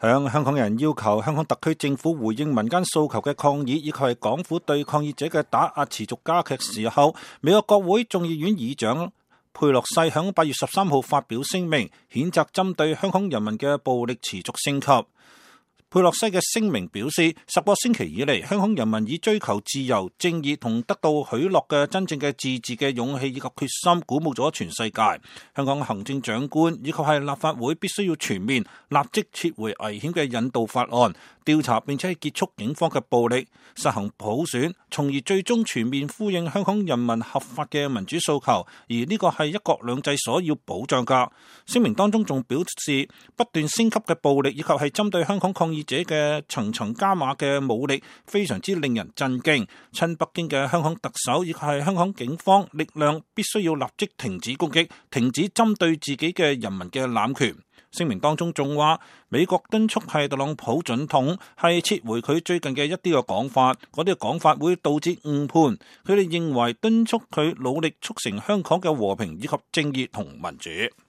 向香港人要求香港特區政府回應民間訴求嘅抗議，以及係港府對抗議者嘅打壓持續加劇時候，美國國會眾議院議長佩洛西響8月13號發表聲明，譴責針對香港人民嘅暴力持續升級。佩洛西嘅聲明表示，10個星期以嚟，香港人民以追求自由、正義同得到許諾嘅真正嘅自治嘅勇氣以及決心，鼓舞咗全世界。香港行政長官以及係立法會必須要全面立即撤回危險嘅引渡法案，調查並且係結束警方嘅暴力，實行普選，從而最終全面呼應香港人民合法嘅民主訴求。而呢個係一國兩制所要保障㗎。聲明當中仲表示，不斷升級嘅暴力以及係針對香港抗議者嘅層層加碼嘅武力，非常之令人震驚。親北京嘅香港特首以及係香港警方力量必須要立即停止攻擊，停止針對自己嘅人民嘅濫權。聲明當中仲話，美國敦促係特朗普總統係撤回佢最近嘅一啲嘅講法，嗰啲嘅講法會導致誤判。佢哋認為敦促佢努力促成香港嘅和平以及正義同民主。